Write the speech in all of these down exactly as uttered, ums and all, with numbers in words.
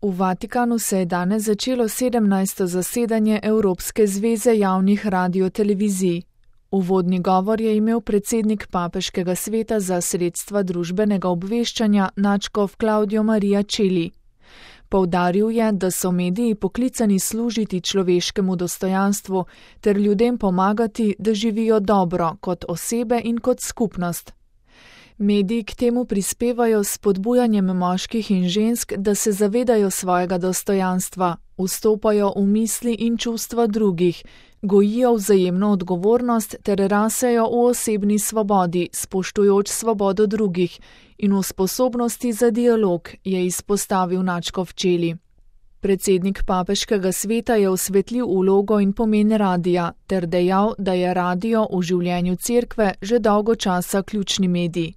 V Vatikanu se je danes začelo sedemnajsto zasedanje Evropske zveze javnih radiotelevizij. Uvodni govor je imel predsednik Papeškega sveta za sredstva družbenega obveščanja nadškof Claudio Maria Celli. Poudaril je, da so mediji poklicani služiti človeškemu dostojanstvu ter ljudem pomagati, da živijo dobro kot osebe in kot skupnost. Mediji k temu prispevajo s spodbujanjem moških in žensk, da se zavedajo svojega dostojanstva, vstopajo v misli in čustva drugih, gojijo vzajemno odgovornost ter rasejo v osebni svobodi, spoštujoč svobodo drugih in v sposobnosti za dialog, je izpostavil nadškof Celli. Predsednik Papeškega sveta je osvetlil vlogo in pomen radia ter dejal, da je radio v življenju cerkve že dolgo časa ključni medij.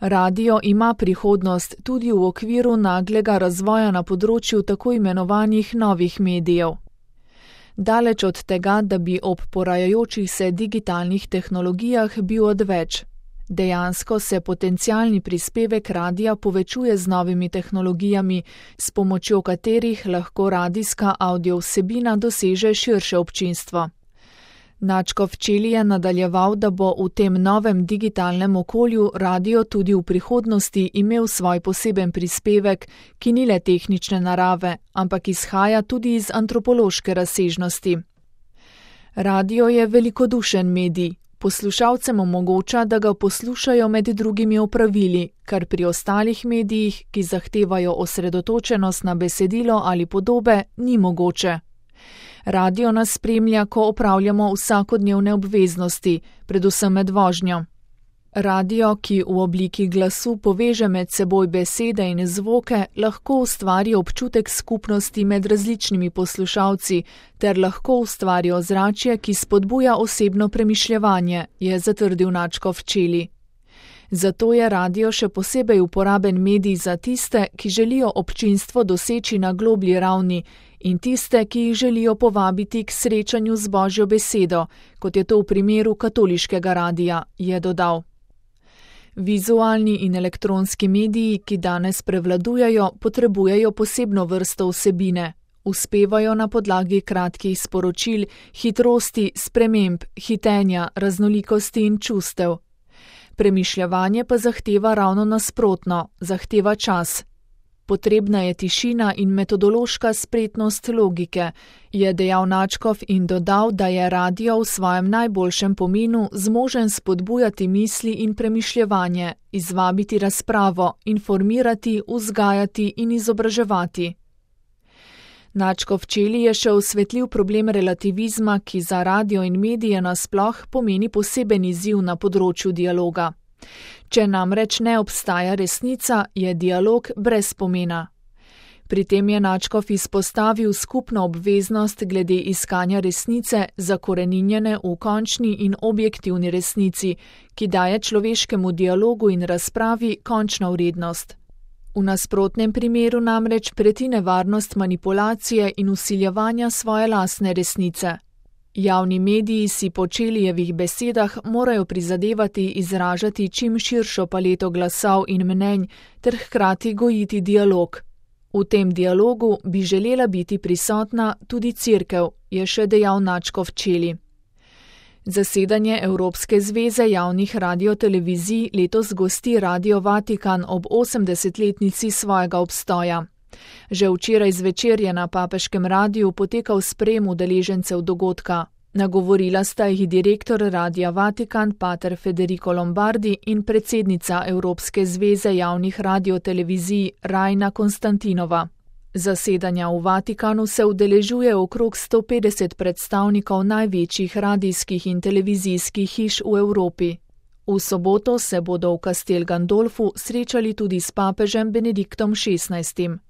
Radio ima prihodnost tudi v okviru naglega razvoja na področju tako imenovanih novih medijev. Daleč od tega, da bi ob porajajočih se digitalnih tehnologijah bil odveč. Dejansko se potencialni prispevek radia povečuje z novimi tehnologijami, s pomočjo katerih lahko radijska avdio vsebina doseže širše občinstvo. Nadškof Celli je nadaljeval, da bo v tem novem digitalnem okolju radio tudi v prihodnosti imel svoj poseben prispevek, ki ni le tehnične narave, ampak izhaja tudi iz antropološke razsežnosti. Radio je velikodušen medij. Poslušalcem omogoča, da ga poslušajo med drugimi opravili, kar pri ostalih medijih, ki zahtevajo osredotočenost na besedilo ali podobe, ni mogoče. Radio nas spremlja, ko opravljamo vsakodnevne obveznosti, predvsem med vožnjo. Radio, ki v obliki glasu poveže med seboj besede in zvoke, lahko ustvari občutek skupnosti med različnimi poslušalci ter lahko ustvari ozračje, ki spodbuja osebno premišljevanje, je zatrdil nadškof Celli. Zato je radio še posebej uporaben medij za tiste, ki želijo občinstvo doseči na globlji ravni in tiste, ki jih želijo povabiti k srečanju z Božjo besedo, kot je to v primeru katoliškega radia, je dodal. Vizualni in elektronski mediji, ki danes prevladujejo, potrebujejo posebno vrsto vsebine. Uspevajo na podlagi kratkih sporočil, hitrosti, sprememb, hitenja, raznolikosti in čustev. Premišljevanje pa zahteva ravno nasprotno, zahteva čas. Potrebna je tišina in metodološka spretnost logike, je dejal nadškof in dodal, da je radio v svojem najboljšem pomenu zmožen spodbujati misli in premišljevanje, izvabiti razpravo, informirati, vzgajati in izobraževati. Nadškof Celli je še osvetlil problem relativizma, ki za radio in medije nasploh pomeni poseben izziv na področju dialoga. Če namreč ne obstaja resnica, je dialog brez pomena. Pri tem je nadškof izpostavil skupno obveznost glede iskanja resnice, zakoreninjene v končni in objektivni resnici, ki daje človeškemu dialogu in razpravi končno vrednost. V nasprotnem primeru namreč preti nevarnost manipulacije in vsiljevanja svoje lastne resnice. Javni mediji si po Cellijevih besedah morajo prizadevati izražati čim širšo paleto glasov in mnenj ter hkrati gojiti dialog. V tem dialogu bi želela biti prisotna tudi cerkev, je še dejal nadškof Celli. Zasedanje Evropske zveze javnih radiotelevizij letos gosti Radio Vatikan ob osemdesetletnici svojega obstoja. Že včeraj zvečer je na Papeškem radiju potekal sprejem udeležencev dogodka. Nagovorila sta jih direktor Radia Vatikan pater Federico Lombardi in predsednica Evropske zveze javnih radiotelevizij Rajna Konstantinova. Zasedanja v Vatikanu se udeležuje okrog sto petdeset predstavnikov največjih radijskih in televizijskih hiš v Evropi. V soboto se bodo v Castel Gandolfu srečali tudi s papežem Benediktom šestnajstim.